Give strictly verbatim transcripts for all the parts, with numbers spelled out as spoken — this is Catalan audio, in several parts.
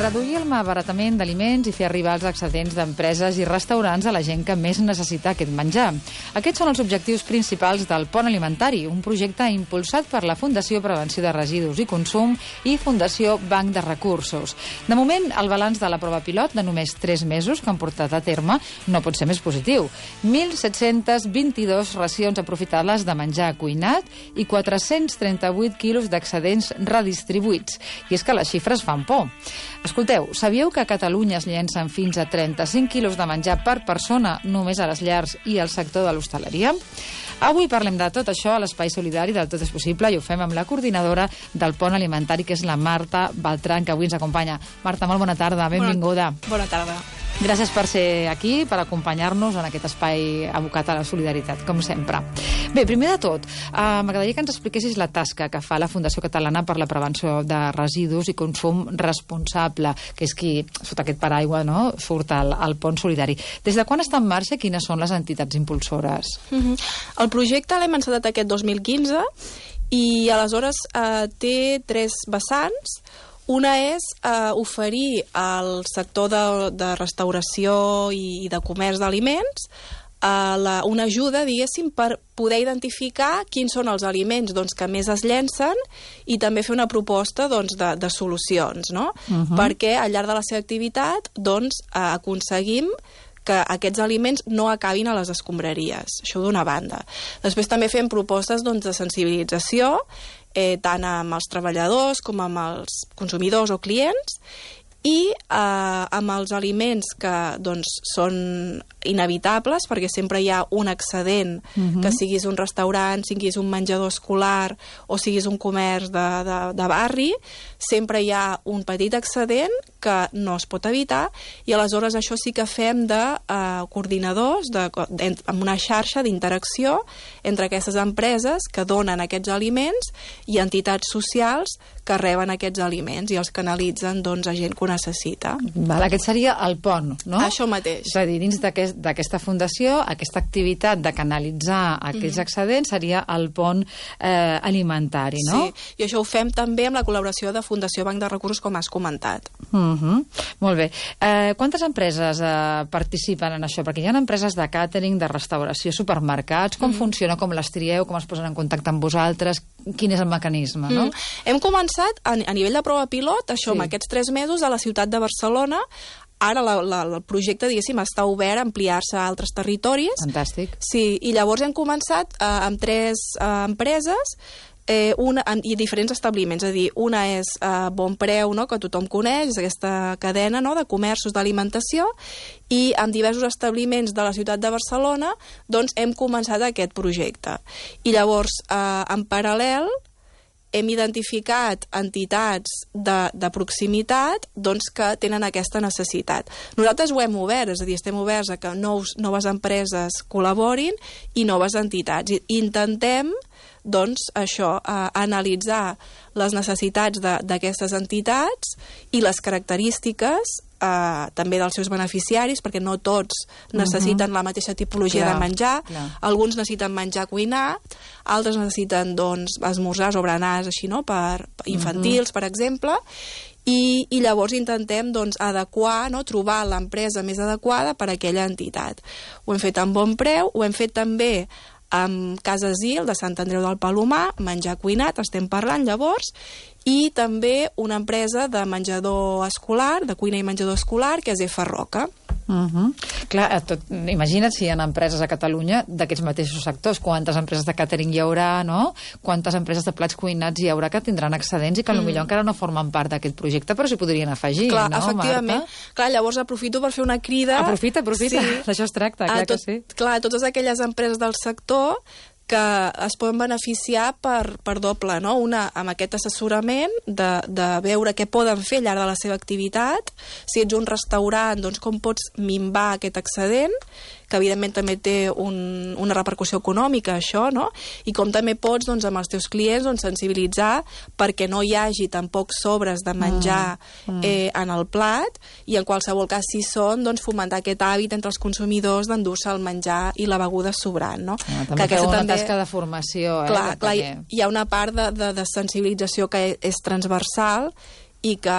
Reduir el malbaratament d'aliments i fer arribar els excedents d'empreses i restaurants a la gent que més necessita aquest menjar. Aquests són els objectius principals del Pont Alimentari, un projecte impulsat per la Fundació Prevenció de Residus i Consum i Fundació Banc de Recursos. De moment, el balanç de la prova pilot de només tres mesos que han portat a terme no pot ser més positiu. mil set-cents vint-i-dues racions aprofitades de menjar cuinat i quatre-cents trenta-vuit quilos d'excedents redistribuïts. I és que les xifres fan por. Escolteu, sabíeu que a Catalunya es llencen fins a trenta-cinc quilos de menjar per persona només a les llars i al sector de l'hostaleria? Avui parlem de tot això a l'Espai Solidari del Tot és Possible i ho fem amb la coordinadora del Pont Alimentari, que és la Marta Beltrán, que avui ens acompanya. Marta, molt bona tarda, benvinguda. Bona, bona tarda. Gràcies per ser aquí, per acompanyar-nos en aquest espai abocat a la solidaritat, com sempre. Bé, primer de tot, eh, m'agradaria que ens expliquessis la tasca que fa la Fundació Catalana per la Prevenció de Residus i Consum Responsable, que és qui, sota aquest paraigua, no, surt al, al Pont Solidari. Des de quan està en marxa i quines són les entitats impulsores? Mm-hmm. El projecte l'hem encetat aquest dos mil quinze i aleshores eh, té tres vessants. Una és eh, oferir al sector de, de restauració i, i de comerç d'aliments eh, la, una ajuda, diguéssim, per poder identificar quins són els aliments doncs, que més es llencen i també fer una proposta doncs, de, de solucions, no? Uh-huh. Perquè al llarg de la seva activitat doncs, eh, aconseguim que aquests aliments no acabin a les escombraries. Això d'una banda. Després també fem propostes doncs, de sensibilització, eh, tant amb els treballadors com amb els consumidors o clients, i eh, amb els aliments que doncs, són inevitables, perquè sempre hi ha un excedent, uh-huh. que siguis un restaurant, siguis un menjador escolar o siguis un comerç de, de, de barri, sempre hi ha un petit excedent que no es pot evitar, i aleshores això sí que fem de eh, coordinadors, de, de, amb una xarxa d'interacció entre aquestes empreses que donen aquests aliments i entitats socials que reben aquests aliments i els canalitzen doncs, a gent que ho necessita. Val, aquest seria el pont, no? Això mateix. És a dir, dins d'aquest, d'aquesta fundació, aquesta activitat de canalitzar aquests mm-hmm. excedents seria el pont eh, alimentari, no? Sí, i això ho fem també amb la col·laboració de Fundació Banc de Recursos, com has comentat. Mm-hmm. Molt bé. Eh, quantes empreses eh, participen en això? Perquè hi ha empreses de càtering, de restauració, supermercats. Com mm-hmm. funciona? Com les trieu? Com es posen en contacte amb vosaltres? Quin és el mecanisme, no? Mm. Hem començat a, a nivell de prova pilot, això, sí. amb aquests tres mesos, a la ciutat de Barcelona. Ara la, la, el projecte, diguéssim, està obert a ampliar-se a altres territoris. Fantàstic. Sí, i llavors hem començat eh, amb tres eh, empreses eh, una, en, i diferents establiments. És a dir, una és eh, Bon Preu, no?, que tothom coneix, és aquesta cadena, no?, de comerços d'alimentació, i amb diversos establiments de la ciutat de Barcelona doncs hem començat aquest projecte. I llavors, eh, en paral·lel, hem identificat entitats de, de proximitat doncs, que tenen aquesta necessitat. Nosaltres ho hem obert, és a dir, estem oberts a que nous, noves empreses col·laborin i noves entitats. I intentem doncs, això, eh, analitzar les necessitats d'aquestes entitats i les característiques Uh, també dels seus beneficiaris, perquè no tots necessiten uh-huh. la mateixa tipologia clar, de menjar. Clar. Alguns necessiten menjar cuinat, altres necessiten doncs, esmorzars o berenars així, no? per, per infantils, uh-huh. per exemple, i, i llavors intentem doncs, adequar, no? trobar l'empresa més adequada per a aquella entitat. Ho hem fet amb Bon Preu, ho hem fet també amb Casa Asil de Sant Andreu del Palomar, menjar cuinat, estem parlant llavors, i també una empresa de menjador escolar, de cuina i menjador escolar, que és F. Roca. Uh-huh. Clar, tot, imagina't si hi ha empreses a Catalunya d'aquests mateixos sectors, quantes empreses de càtering hi haurà, no? Quantes empreses de plats cuinats hi haurà que tindran excedents i que potser mm. encara no formen part d'aquest projecte, però s'hi podrien afegir, clar, no, efectivament. Marta? Clar, llavors aprofito per fer una crida... Aprofita, aprofita, sí. D'això es tracta, clar tot, que sí. Clar, totes aquelles empreses del sector que es poden beneficiar per, per doble, no? Una, amb aquest assessorament de, de veure què poden fer al llarg de la seva activitat. Si ets un restaurant, doncs com pots minvar aquest excedent, que evidentment també té un, una repercussió econòmica, això, no? I com també pots, doncs, amb els teus clients doncs, sensibilitzar perquè no hi hagi tampoc sobres de menjar mm. Mm. Eh, en el plat, i en qualsevol cas, si són, doncs, fomentar aquest hàbit entre els consumidors d'endur-se el menjar i la beguda sobrant, no? Ah, també que feu una també... tasca de formació, eh? Clar, clar, perquè... hi ha una part de, de, de sensibilització que és transversal, i que,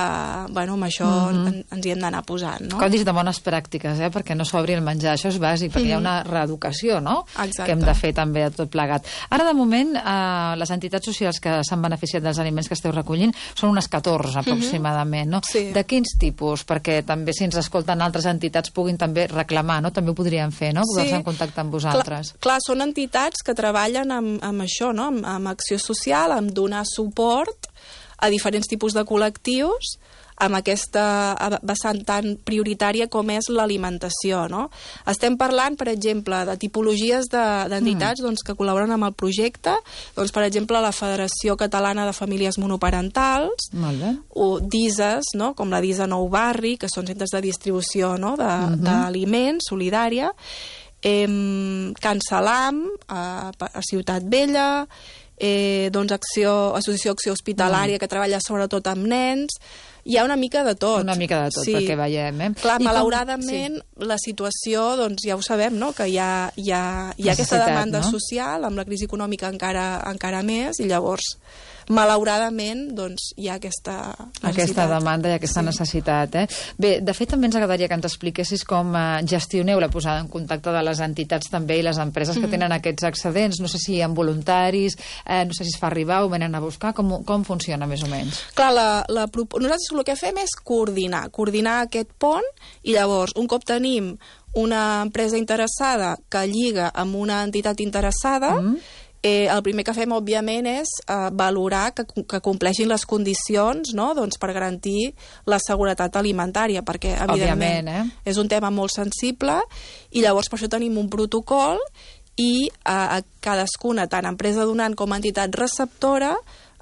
bueno, amb això mm-hmm. en, ens hi hem d'anar posant, no? Codis de bones pràctiques, eh? Perquè no s'obri el menjar, això és bàsic, perquè mm-hmm. hi ha una reeducació, no? Exacte. Que hem de fer també a tot plegat. Ara, de moment, eh, les entitats socials que s'han beneficiat dels aliments que esteu recollint són unes catorze, aproximadament, no? Sí. De quins tipus? Perquè també, si ens escolten altres entitats, puguin també reclamar, no? També ho podrien fer, no? Posar-se Sí. en contacte amb vosaltres. Clar, clar, són entitats que treballen amb, amb això, no? Amb, amb acció social, amb donar suport a diferents tipus de col·lectius amb aquesta vessant tan prioritària com és l'alimentació, no? Estem parlant, per exemple, de tipologies d'entitats de, mm. doncs, que col·laboren amb el projecte, doncs, per exemple, la Federació Catalana de Famílies Monoparentals, o d'I S As, no? Com la d'I S A Nou Barri, que són centres de distribució, no? d'aliments, mm-hmm. solidària, eh, Can Salam, a, a Ciutat Vella, eh, doncs Acció, Associació Acció Hospitalària, mm. que treballa sobretot amb nens. Hi ha una mica de tot. Una mica de tot, sí. Perquè veiem, eh? Clar, I malauradament, com... sí. la situació, doncs ja ho sabem, no?, que hi ha, hi ha, hi ha aquesta demanda, no?, social, amb la crisi econòmica encara, encara més, i llavors, malauradament, doncs hi ha aquesta necessitat. Aquesta demanda i aquesta sí. necessitat, eh? Bé, de fet, també ens agradaria que ens expliquessis com eh, gestioneu la posada en contacte de les entitats també i les empreses mm-hmm. que tenen aquests excedents. No sé si hi ha voluntaris, eh, no sé si es fa arribar o venen a buscar. Com, com funciona, més o menys? Clar, la, la, nosaltres el que fem és coordinar, coordinar aquest pont, i llavors, un cop tenim una empresa interessada que lliga amb una entitat interessada, mm. eh, el primer que fem, òbviament, és eh, valorar que, que compleixin les condicions, no?, doncs, per garantir la seguretat alimentària, perquè, evidentment, eh? és un tema molt sensible, i llavors per això tenim un protocol, i eh, a cadascuna, tant empresa donant com entitat receptora,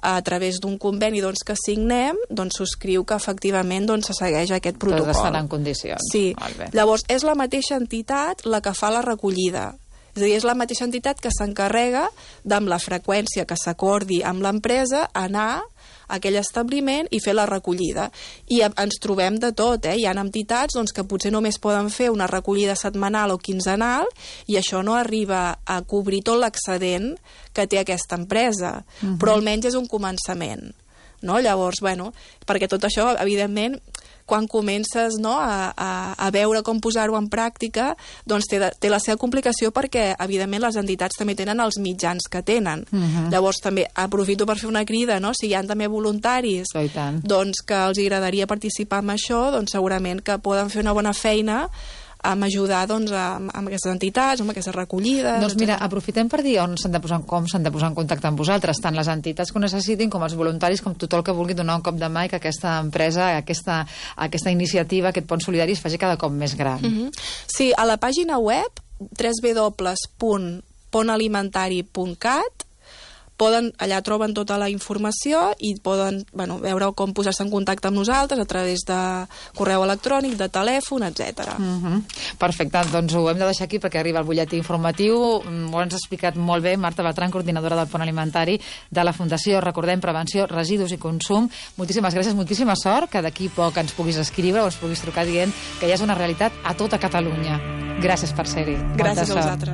a través d'un conveni doncs, que signem, doncs subscriu que efectivament doncs, se segueix aquest protocol. Tots estan en condicions. Sí. Llavors, és la mateixa entitat la que fa la recollida. És a dir, és la mateixa entitat que s'encarrega d'amb la freqüència que s'acordi amb l'empresa anar a aquell establiment i fer la recollida. I ens trobem de tot, eh? Hi ha entitats doncs, que potser només poden fer una recollida setmanal o quinzenal i això no arriba a cobrir tot l'excedent que té aquesta empresa. Uh-huh. Però almenys és un començament. No? Llavors, bueno, perquè tot això, evidentment, quan comences, no, a, a, a veure com posar-ho en pràctica, doncs té, té la seva complicació perquè, evidentment, les entitats també tenen els mitjans que tenen. Uh-huh. Llavors, també aprofito per fer una crida, no? Si hi ha també voluntaris oh, doncs, que els agradaria participar en això, doncs segurament que poden fer una bona feina amb ajudar doncs, amb, amb aquestes entitats, amb aquestes recollides... Doncs mira, aprofitem per dir on s'han de posar, com s'han de posar en contacte amb vosaltres, tant les entitats que ho necessitin com els voluntaris, com tothom que vulgui donar un cop de mà i que aquesta empresa, aquesta, aquesta iniciativa, aquest pont solidari es faci cada cop més gran. Mm-hmm. Sí, a la pàgina web w w w punt pont alimentari punt cat poden, allà troben tota la informació i poden, bueno, veure com posar-se en contacte amb nosaltres a través de correu electrònic, de telèfon, etcètera. Uh-huh. Perfecte, doncs ho hem de deixar aquí perquè arriba el butlletí informatiu. Ho has explicat molt bé, Marta Bertran, coordinadora del Pont Alimentari de la Fundació, recordem, Prevenció, Residus i Consum. Moltíssimes gràcies, moltíssima sort, que d'aquí poc ens puguis escriure o ens puguis trucar dient que ja és una realitat a tota Catalunya. Gràcies per ser-hi. Gràcies a vosaltres.